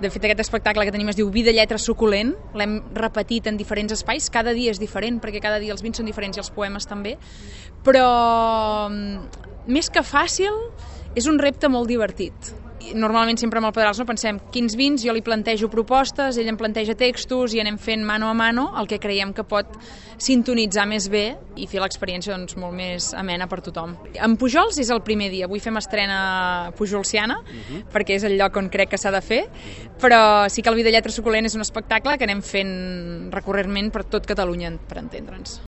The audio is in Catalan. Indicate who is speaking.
Speaker 1: De fet, aquest espectacle que tenim es diu Vida, lletra, suculent. L'hem repetit en diferents espais. Cada dia és diferent, perquè cada dia els vins són diferents i els poemes també. Però, més que fàcil, és un repte molt divertit. Normalment sempre amb el Pedrals pensem quins vins, jo li plantejo propostes, ell em planteja textos i anem fent mano a mano el que creiem que pot sintonitzar més bé i fer l'experiència molt més amena per tothom. En Pujols és el primer dia, avui fem estrena pujolsiana, perquè és el lloc on crec que s'ha de fer, però sí que el Vida, lletra, suculent és un espectacle que anem fent recurrentment per tot Catalunya, per entendre'ns.